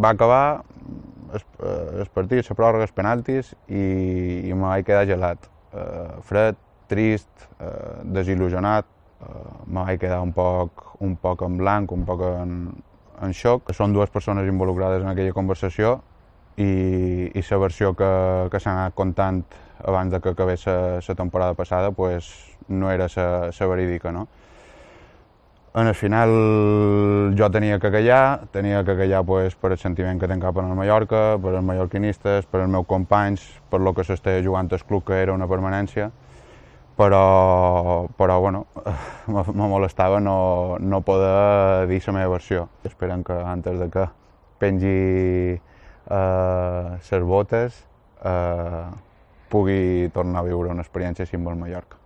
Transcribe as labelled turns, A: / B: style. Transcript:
A: va acabar el partit, la pròrroga, els penaltis, i me vaig quedar gelat. Fred, trist, desil·lusionat, me vaig quedar un poc en blanc, un poc en xoc. Són dues persones involucrades en aquella conversació i la versió que s'ha anat contant abans de que acabés la temporada passada pues, no era la verídica, no? En el final jo tenia que callar pues, per el sentiment que tinc cap al Mallorca, per els mallorquinistes, per els meus companys, per lo que s'estava jugant al club, que era una permanència, però bueno, me molestava no poder dir la meva versió. Esperem que antes de que pengi les botes pugui tornar a viure una experiència així amb el Mallorca.